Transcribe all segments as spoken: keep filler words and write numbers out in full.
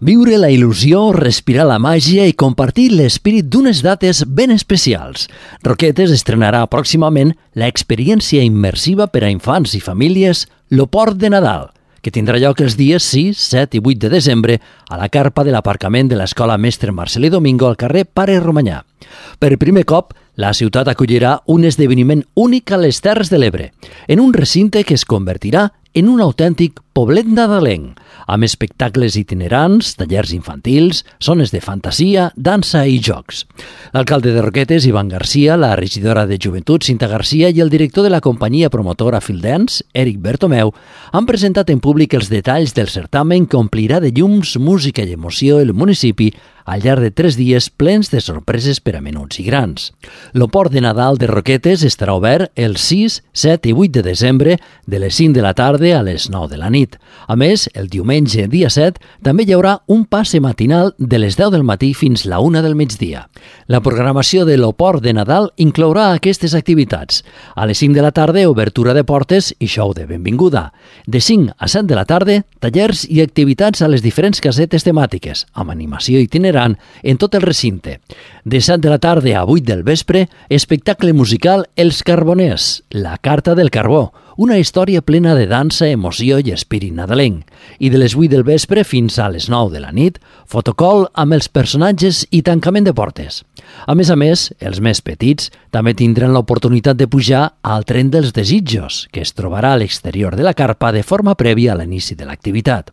Viure la il·lusió, respirar la màgia i compartir l'esperit d'unes dates ben especials. Roquetes estrenarà pròximament l'experiència immersiva per a infants i famílies Lo Port de Nadal, que tindrà lloc els dies sis, set i vuit de desembre a la carpa de l'aparcament de l'Escola Mestre Marcelí Domingo al carrer Pare Romanyà. Per primer cop, la ciutat acollirà un esdeveniment únic a les Terres de l'Ebre, en un recinte que es convertirà en un autèntic poblet nadalenc, amb espectacles itinerants, tallers infantils, zones de fantasia, dansa i jocs. L'alcalde de Roquetes, Ivan Garcia, la regidora de Joventut, Cinta Garcia, i el director de la companyia promotora Field Dance, Eric Bertomeu, han presentat en públic els detalls del certamen que omplirà de llums, música i emoció el municipi al llarg de tres dies plens de sorpreses per a menuts i grans. Lo Port de Nadal de Roquetes estarà obert el sis, set i vuit de desembre de les cinc de la tarda a les nou de la nit. A més, el diumenge, dia set, també hi haurà un passe matinal de les deu del matí fins la una del migdia. La programació de Lo Port de Nadal inclourà aquestes activitats. A les cinc de la tarda, obertura de portes i show de benvinguda. De cinc a set de la tarda, tallers i activitats a les diferents casetes temàtiques, amb animació itinerant en tot el recinte. De set de la tarda a vuit del vespre, espectacle musical Els Carboners, la carta del carbó, una història plena de dansa, emoció i espírit nadalenc. I de les vuit del vespre fins a les nou de la nit, fotocall amb els personatges i tancament de portes. A més a més, els més petits també tindran l'oportunitat de pujar al tren dels desitjos, que es trobarà a l'exterior de la carpa de forma prèvia a l'inici de l'activitat.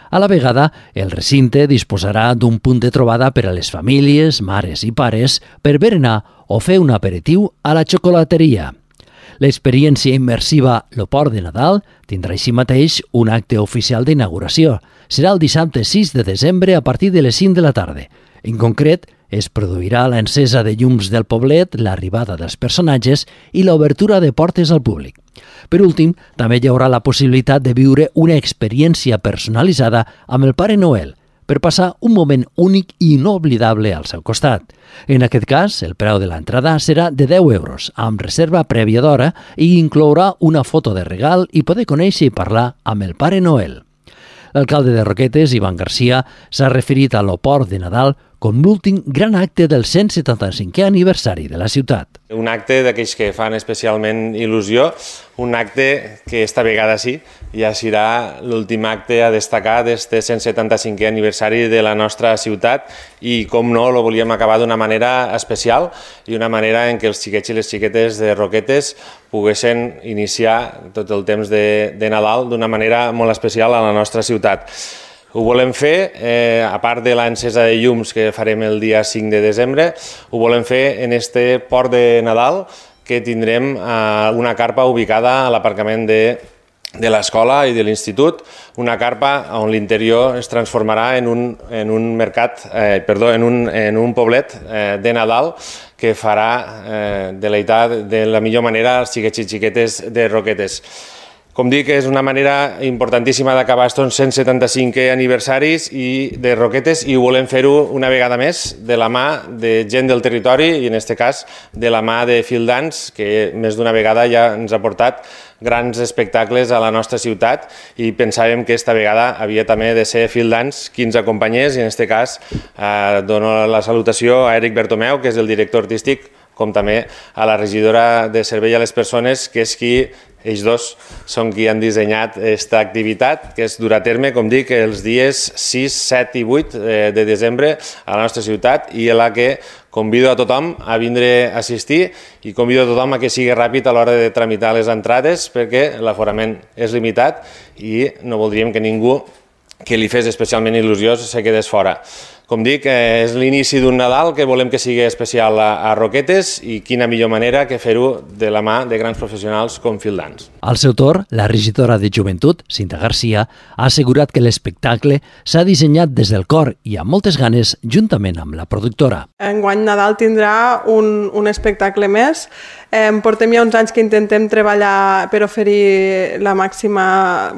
A la vegada, el recinte disposarà d'un punt de trobada per a les famílies, mares i pares per berenar o fer un aperitiu a la xocolateria. L'experiència immersiva Lo Port de Nadal tindrà així mateix un acte oficial d'inauguració. Serà el dissabte sis de desembre a partir de les cinc de la tarda. En concret, es produirà l'encesa de llums del poblet, l'arribada dels personatges i l'obertura de portes al públic. Per últim, també hi haurà la possibilitat de viure una experiència personalitzada amb el Pare Noel, per passar un moment únic i inoblidable al seu costat. En aquest cas, el preu de l'entrada serà de deu euros, amb reserva prèvia d'hora, i inclourà una foto de regal i poder conèixer i parlar amb el Pare Noel. L'alcalde de Roquetes, Ivan Garcia, s'ha referit a Lo Port de Nadal com l'últim gran acte del cent setanta-cinquè aniversari de la ciutat. Un acte d'aquells que fan especialment il·lusió, un acte que esta vegada sí, ja serà l'últim acte a destacar d'este cent setanta-cinquè aniversari de la nostra ciutat i, com no, lo volíem acabar d'una manera especial i una manera en què els xiquets i les xiquetes de Roquetes poguessin iniciar tot el temps de, de Nadal d'una manera molt especial a la nostra ciutat. Ho volem fer, eh, a part de l'encesa de llums que farem el dia cinc de desembre, ho volem fer en este Port de Nadal que tindrem eh, una carpa ubicada a l'aparcament de, de l'escola i de l'institut, una carpa on l'interior es transformarà en un, en un mercat, eh, perdó, en un, en un poblet eh, de Nadal que farà eh, deleitar de la millor manera els xiquets i xiquetes de Roquetes. Com dic, és una manera importantíssima d'acabar aquests cent setanta-cinquè aniversaris i de Roquetes i ho volem fer-ho una vegada més de la mà de gent del territori i en aquest cas de la mà de Field Dance, que més d'una vegada ja ens ha portat grans espectacles a la nostra ciutat i pensàvem que esta vegada havia també de ser Field Dance qui ens acompanyés i en aquest cas eh, dono la salutació a Eric Bertomeu, que és el director artístic, com també a la regidora de Servei a les Persones, que és qui ells dos són qui han dissenyat aquesta activitat, que es durà a terme, com dic, els dies sis, set i vuit de desembre a la nostra ciutat i a la que convido a tothom a vindre a assistir i convido a tothom a que sigui ràpid a l'hora de tramitar les entrades perquè l'aforament és limitat i no voldríem que ningú que li fes especialment il·lusió se quedés fora. Com dic, és l'inici d'un Nadal que volem que sigui especial a Roquetes i quina millor manera que fer-ho de la mà de grans professionals com Field Dance. Al seu torn, la regidora de Joventut, Cinta Garcia, ha assegurat que l'espectacle s'ha dissenyat des del cor i amb moltes ganes juntament amb la productora. Enguany Nadal tindrà un, un espectacle més. Eh, portem ja uns anys que intentem treballar per oferir la màxima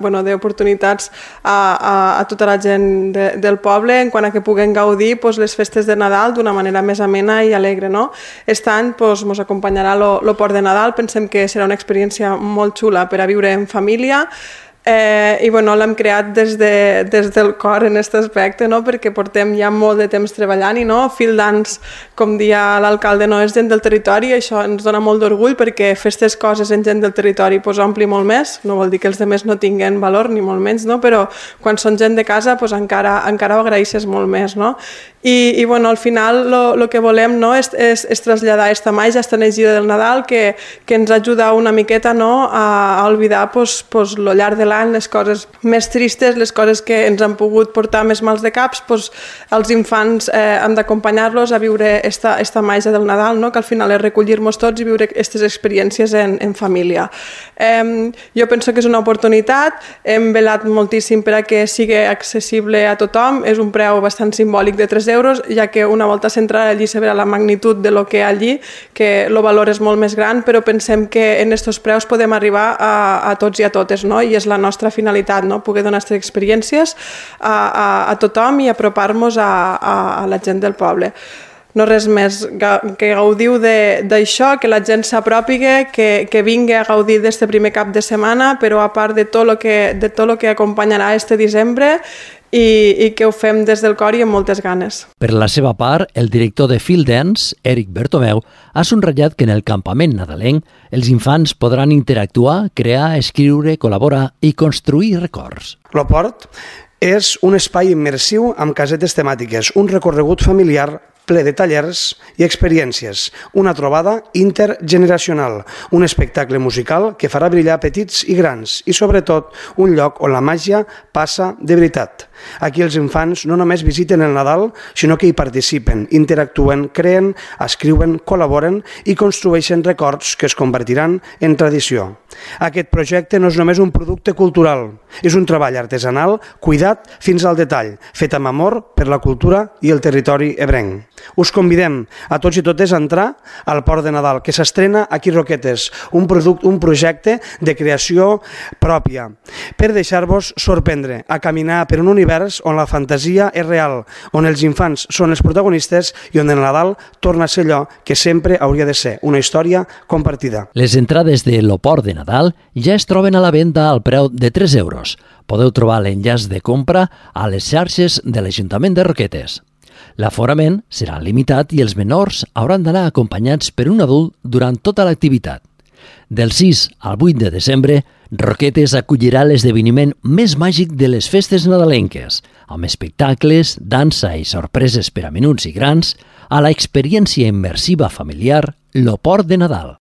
bueno, d'oportunitats a, a, a tota la gent de, del poble en quant a que puguen gaudir pues, les festes de Nadal d'una manera més amena i alegre. No? Aquest any pues, mos acompanyarà lo, lo Port de Nadal, pensem que serà una experiència molt xula per a viure en família. Eh, I bueno, l'hem creat des, de, des del cor en aquest aspecte, no? Perquè portem ja molt de temps treballant i no, Field Dance, com dia l'alcalde, no és gent del territori, això ens dona molt d'orgull perquè fer aquestes coses en gent del territori pues, ompli molt més, no vol dir que els altres no tinguen valor ni molt menys, no? Però quan són gent de casa pues, encara, encara ho agraeixes molt més. No? I, i bueno, al final el que volem no, és, és, és traslladar aquesta màgia, aquesta energia del Nadal que, que ens ajuda una miqueta no, a, a oblidar pues, pues, lo llarg de l'any, les coses més tristes, les coses que ens han pogut portar més mals de caps, pues, els infants eh, han d'acompanyar-los a viure esta, esta màgia del Nadal, no? Que al final és recollir-nos tots i viure aquestes experiències en, en família. Eh, jo penso que és una oportunitat, hem velat moltíssim per a que sigui accessible a tothom, és un preu bastant simbòlic de tres euros, ja que una volta centrada allí se verà la magnitud de lo que hi ha allí, que el valor és molt més gran, però pensem que en aquests preus podem arribar a, a tots i a totes, no? I és la nostra finalitat, no? Poder donar aquestes experiències a, a, a tothom i apropar-nos a, a, a la gent del poble. No res més, que gaudiu d'això, que la gent s'apropigue, que, que vingui a gaudir d'aquest primer cap de setmana, però a part de tot el que, de tot el que acompanyarà este desembre, i, i que ho fem des del cor i amb moltes ganes. Per la seva part, el director de Field Dance, Eric Bertomeu, ha subratllat que en el campament nadalenc els infants podran interactuar, crear, escriure, col·laborar i construir records. L'Oport és un espai immersiu amb casetes temàtiques, un recorregut familiar ple de tallers i experiències, una trobada intergeneracional, un espectacle musical que farà brillar petits i grans i, sobretot, un lloc on la màgia passa de veritat. Aquí els infants no només visiten el Nadal, sinó que hi participen, interactuen, creen, escriuen, col·laboren i construeixen records que es convertiran en tradició. Aquest projecte no és només un producte cultural, és un treball artesanal cuidat fins al detall, fet amb amor per la cultura i el territori ebrenc. Us convidem a tots i totes a entrar al Port de Nadal, que s'estrena aquí a Roquetes, un, producte, un projecte de creació pròpia, per deixar-vos sorprendre, a caminar per un univers on la fantasia és real, on els infants són els protagonistes i on el Nadal torna a ser allò que sempre hauria de ser, una història compartida. Les entrades de l'Oport de Nadal ja es troben a la venda al preu de tres euros. Podeu trobar l'enllaç de compra a les xarxes de l'Ajuntament de Roquetes. L'aforament serà limitat i els menors hauran d'anar acompanyats per un adult durant tota l'activitat. Del sis al vuit de desembre, Roquetes acollirà l'esdeveniment més màgic de les festes nadalenques, amb espectacles, dansa i sorpreses per a menuts i grans, a l'experiència immersiva familiar L'Oport de Nadal.